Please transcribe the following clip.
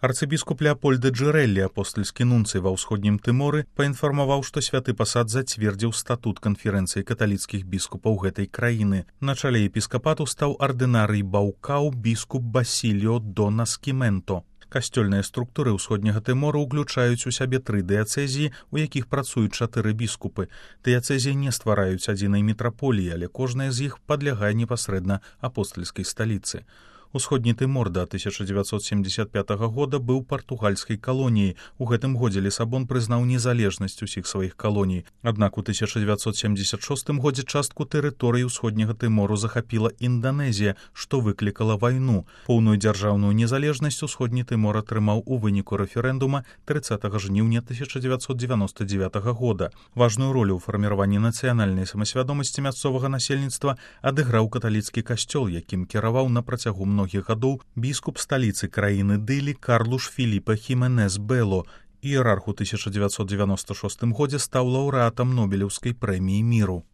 Арцыбіскуп Леапольд де Джерэллі, апостальскі нунцый ва ўсходнім Тыморы, паінфармаваў, што святы пасад зацвердзіў статут канферэнцыі каталіцкіх біскупаў гэтай краіны. На чале епіскапату стаў ардынарый Баукау біскуп Басіліо до Наскіменто. Касцёльныя структуры ўсходняга Тымора ўключаюць у сябе 3 дыяцэзіі, у якіх працуюць 4 біскупы. Дыяцэзіі не ствараюць адзінай мітраполіі, але кожная з іх падлягае непасрэдна апостальскай сталіцы. Усходні Тымор да 1975 года быў партугальскай калоніяй. У гэтым годзе Лісабон прызнаў незалежнасць усіх сваіх калоній. Аднак у 1976 годзе частку тэрыторыі ўсходняга Тымору захапіла Інданезія, што выклікала вайну. Поўную дзяржаўную незалежнасць усходні Тымор атрымаў у выніку рэферэндума 30 жніўня 1999 года. Важную ролю ў фарміраванні нацыянальнай самасвядомасці мясцовага насельніцтва адыграў каталіцкі касцёл, якім кіраваў на працягу многіх гадоў біскуп сталіцы краіны Дылі Карлуш Філіпа Хіменес Бело. Іерарх у 1996 годзе стаў лаўрэатам Нобелеўскай прэміі міру.